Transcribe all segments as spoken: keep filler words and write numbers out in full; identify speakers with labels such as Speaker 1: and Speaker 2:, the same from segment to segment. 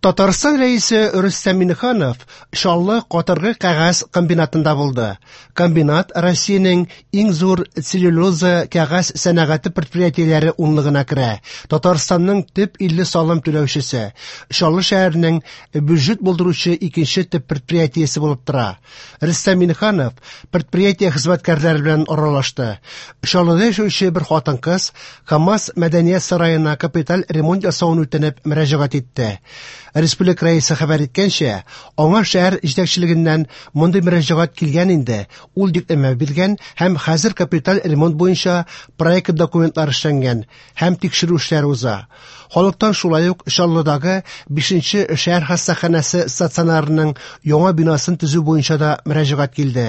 Speaker 1: Татарстан Рәисе Рөстәм Миңнеханов Чаллы катыргы кәгазь комбинатында булды. Комбинат Россиянең иң зур целлюлоза кәгазь сәнәгате предприятиеләре унлыгына керә. Татарстанның төп илле салым түләүчесе, Чаллы шәһәренең бюджет булдыручы икенче төп предприятиесе булып тора. Рөстәм Миңнеханов предприятие хезмәткәрләре белән аралашты. Чаллыда яшәүче бер хатын-кыз КАМАЗ мәдәният сараена капиталь ремонт ясавын үтенеп мөрәҗәгать итте. Республика Рәисе хәбәр иткәнчә, аңа шәһәр җитәкчелегеннән мондый мөрәҗәгать килгән инде. Ул йөкләмә биргән һәм хәзер капиталь ремонт буенча проект документлары эшләнгән һәм тикшерү эшләре уза. Халыктан шулай ук Чаллыдагы бишенче шәһәр хастаханәсе стационарының яңа бинасын төзү буенча да мөрәҗәгать килде.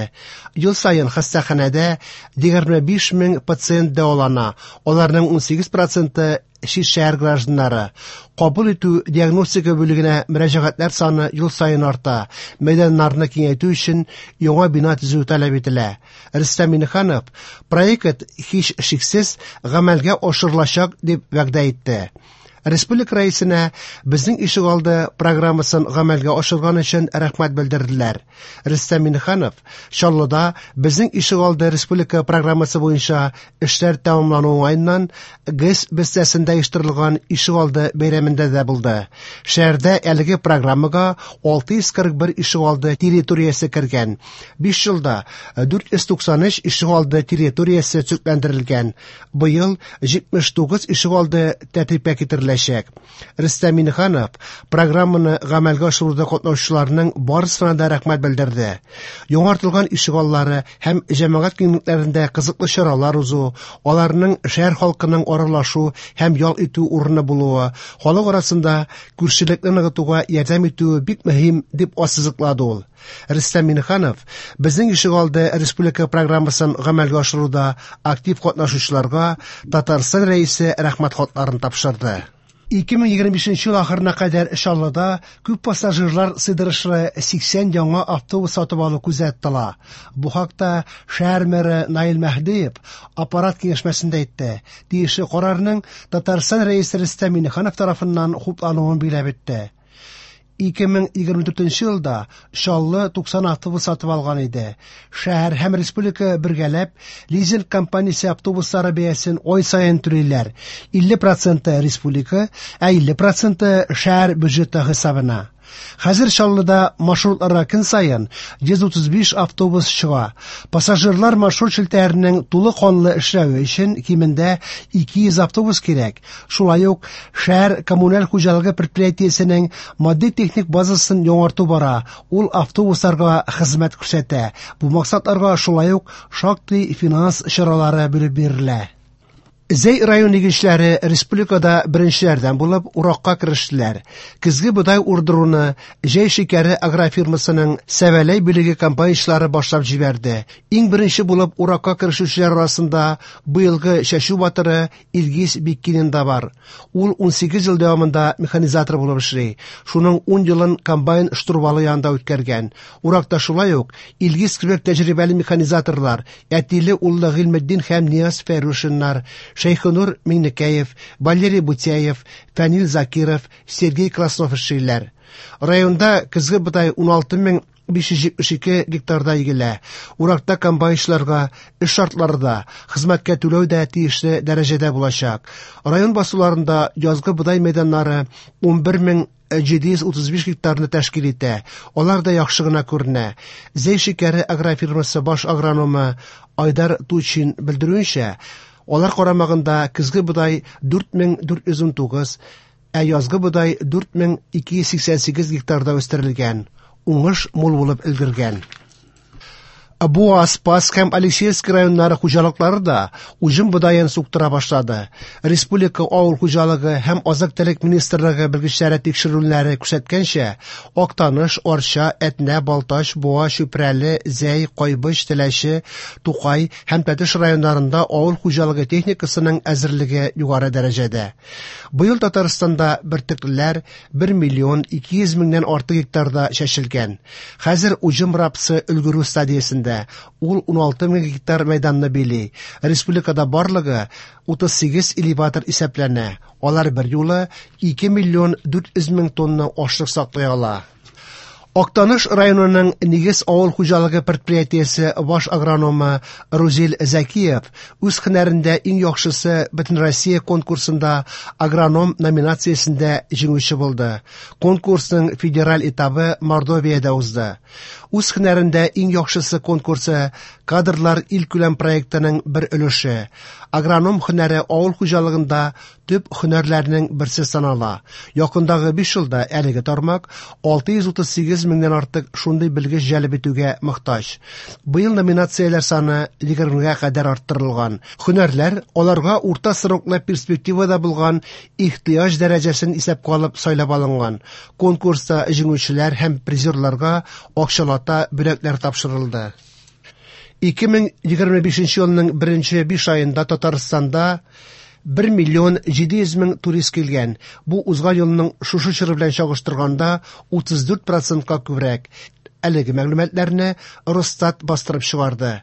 Speaker 1: Ел саен хастаханәдә егерме биш мең пациент дәвалана. Аларның ун сигез проценты чит шәһәр гражданнары. Кабул итү диагностика бүлегенә мөрәҗәгатьләр саны ел саен арта. Мәйданнарны киңәйтү өчен яңа бина төзү таләп ителә. Рөстәм Миңнеханов проект һич шиксез гамәлгә ашырылачак дип вәгъдә итте. Республика Рәисенә безнең ишегалды программасын гамәлгә ашырган өчен рәхмәт белдерделәр. Рөстәм Миңнеханов Чаллыда безнең ишегалды республика программасы буенча эшләр тәмамлану уңаеннан ГЭС бистәсендә оештырылган ишегалды бәйрәмендә дә булды. Шәһәрдә әлеге программага алты йөз кырык бер ишегалды территориясе кергән. Биш елда дүрт йөз туксан өч ишегалды территориясе төзекләндерелгән. Быел җитмеш тугыз ишегалды тәртипкә китереләчәк. Рөстәм Миңнеханов программаны гамәлгә ашыруда катнашучыларның барысына да рәхмәт белдерде. Яңартылган ишегаллары һәм җәмәгать киңлекләрендә кызыклы чаралар узу, аларның шәһәр халкының аралашу һәм ял итү урыны булуы, халык арасында күршелекне ныгытуга ярдәм итүе бик мөһим дип ассызыклады ул. Рөстәм Миңнеханов безнең ишегалды республика программасын гамәлгә ашыруда актив катнашучыларга Татарстан Рәисе рәхмәт хатларын тапшырды. Ике мең егерме бишенче ел ахырына кадәр Чаллыда күп пассажирлар сыйдырышлы сиксән яңа автобус сатып алу күздә тотыла. Бу хакта шәһәр мэры Наил Мәһдиев аппарат киңәшмәсендә әйтте. Тиешле карарның Татарстан Рәисе Рөстәм Миңнеханов тарафыннан хуплануын билгеләп үтте. Ике мең егерме дүртенче елда Чаллы туксан автобус сатып алган иде. Шәһәр һәм республика бергәләп лизинг компаниясе автобуслары бәясен ай саен түлиләр. Илле проценты республика, ә илле проценты шәһәр бюджеты хисабына. Хәзер Чаллыда маршрутларга көн саен йөз утыз биш автобус чыга. Пассажирлар маршрут челтәренең тулы канлы эшләве өчен кимендә ике йөз автобус кирәк. Шулай ук шәһәр коммуналь хуҗалыгы предприятиесенең матди-техник базасын яңарту бара. Ул автобусларга хезмәт күрсәтә. Бу максатларга шулай ук шактый финанс чаралары бүлеп бирелә. Зәй район игенчеләре республикада беренчеләрдән булып уракка керештеләр. Көзге бодай урдыруны Җәй шикәре агрофирмасының Сәвәләй бүлеге комбайнчылары башлап җибәрде. Иң беренче булып уракка керешүчеләр арасында быелгы чәчү батыры Илгиз Биккинин да бар. Ул ун сигез ел дәвамында механизатор булып эшли. Шуның ун елын комбайн штурвалы янында үткәргән. Уракта шулай ук Илгиз кебек тәҗрибәле механизаторлар, әтиле уллы Гыйльметдин һәм Нияз Фәрушиннар, Шәйхенур Миңнекәев, Валерий Бутяев, Фәнил Закиров, Сергей Краснов эшлиләр. Районда көзге бодай ун алты мең биш йөз җитмеш ике гектарда игелә. Уракта комбайнчыларга эш шартлары да, хезмәткә түләү дә тиешле дәрәҗәдә булачак. Район басуларында язгы бодай мәйданнары ун бер мең җиде йөз утыз биш гектарны тәшкил итә. Алар да яхшы гына күренә. Зәй шикәре агрофирмасы баш агрономы Айдар Тучин белдерүенчә, алар карамагында көзге бодай дүрт мең дүрт йөз ун тугыз, ә язгы бодай дүрт мең ике йөз сиксән сигез гектарда үстерелгән. Уңыш мул булып өлгергән. Буа, Спас һәм Алексеевск районнары хуҗалыклары да уҗым бодаен суктыра башлады. Республика авыл хуҗалыгы һәм азык-төлек министрлыгы белгечләре тикшерүләре күрсәткәнчә, Актаныш, Арча, Әтнә, Балтач, Буа, Чүпрәле, Зәй, Кайбыч, Теләче, Тукай һәм Тәтеш районнарында авыл хуҗалыгы техникасының әзерлеге югары дәрәҗәдә. Быел Татарстанда бөртеклеләр бер миллион ике йөз меңнән артык гектарда чәчелгән. Хәзер уҗым рапсы өлгерү стадиясендә. исемлегендә. Ул уналты мең гектар мәйданны били. Республикада барлыгы утыз сигез элеватор исәпләнә. Алар бер юлы ике миллион дүрт йөз мең тонна ашлык саклый ала. Актаныш районының Нигез авыл хуҗалыгы предприятиесе баш агрономы Рузил Зәкиев үз һөнәрендә иң яхшысы Бөтенроссия конкурсында агроном номинациясендә җиңүче булды. Конкурсның федераль этабы Мордовиядә узды. Үз һөнәрендә иң яхшысы конкурсы кадрлар илкүләм проектының бер өлеше. Агроном һөнәре авыл хуҗалыгында төп һөнәрләрнең берсе санала. Якындагы биш елда әлеге тармак алты йөз утыз сигез меңнән артык шундый белгеч җәлеп итүгә мохтаҗ. Быел номинацияләр саны егермегә кадәр арттырылган. Һөнәрләр аларга урта сроклы перспективада булган ихтыяҗ дәрәҗәсен исәпкә алып сайлап алынган. Конкурста җиңүчеләр һәм призерларга акчалата бүләкләр тапшырылды. Ике мең егерме бишенче елның беренче биш аенда Татарстанда бер миллион җиде йөз мең турист килгән. Бу узган елның шушы чоры белән чагыштырганда утыз дүрт процентка күбрәк. Әлеге мәгълүматларны Росстат бастырып чыгарды.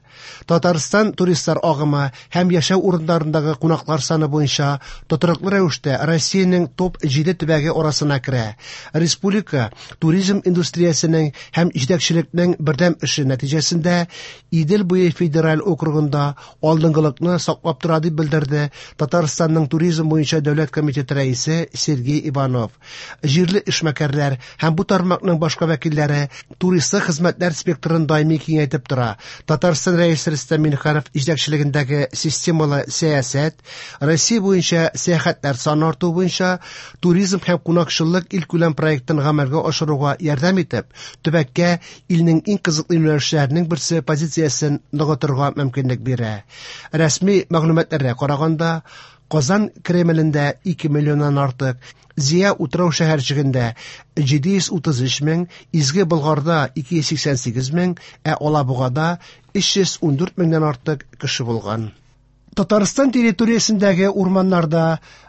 Speaker 1: Татарстан туристлар агымы һәм яшәү урыннарындагы кунаклар саны буенча тотрыклы рәвештә Россиянең топ җиде төбәге арасына керә. Республика туризм индустриясенең һәм җитәкчелекнең бердәм эше нәтиҗәсендә Идел буе федераль округында алдынгылыкны саклап тора, дип белдерде Татарстанның туризм буенча дәүләт комитеты рәисе Сергей Иванов. Җирле эшмәкәрләр һәм бу тармакның башка вәкилләре турист хезмәтләр спектрын даими киңәйтеп тора. Татарстан рәисе Рөстәм Миңнеханов җитәкчелегендәге системалы сәясәт Россия буенча сәяхәтләр саны арту буенча туризм һәм кунакчыллык илкүләм проектын гамәлгә ашыруга ярдәм итеп, төбәккә илнең иң кызыклы юнәлешләренең берсе позициясен ныгытырга мөмкинлек бирә. Рәсми мәгълүматларга караганда, Казан Кремлендә ике миллионнан артык, Зия утрау шәһәрчегендә җиде йөз утыз өч мең, Изге Болгарда ике йөз сиксән сигез мең, ә Алабугада өч йөз ундүрт меңнән артык кеше булган. Татарстан территориясендәге урманнарда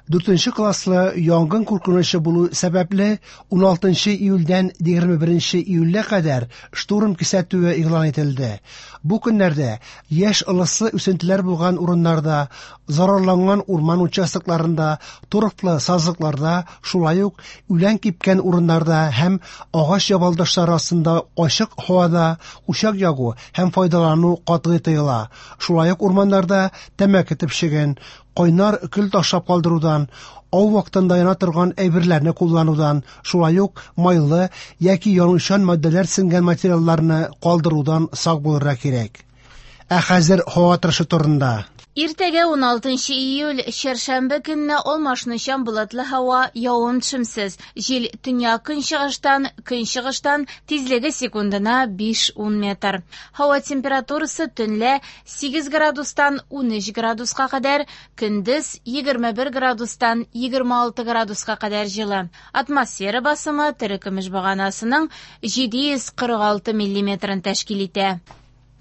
Speaker 1: дүртенче класслы янгын куркынычы булу сәбәпле уналтынчы июльдән егерме беренче июльгә кадәр штурм кисәтүе игълан ителде. Бу көннәрдә яшь ылыслы үсентеләр булган урыннарда, зарарланган урман участокларында, торфлы сазлыкларда, шулай ук үлән кипкән урыннарда һәм агач ябалдашлары астында ачык һавада учак ягу һәм файдалану катгый тыела. Шулай ук урманнарда тәмәке төпчеген, кайнар көл ташлап калдырудан, ау вакытында яна торган әйберләрне кулланудан, шулай ук майлы яки янучан матдәләр сеңгән материалларны калдырудан сак булырга кирәк. Ә хәзер һава торышы турында.
Speaker 2: Иртәгә уналтынчы июль, чәршәмбе көнне алмашынучан болытлы һава, явым-төшемсез. Җил төньяк көнчыгыштан, көнчыгыштан, тизлеге секундына биш-ун метр. Һава температурасы төнлә сигез градустан унөч градуска кадәр, көндез егерме бер градустан егерме алты градуска кадәр җылы. Атмосфера басымы терекөмеш баганасының җиде йөз кырык алты миллиметрын тәшкил итә.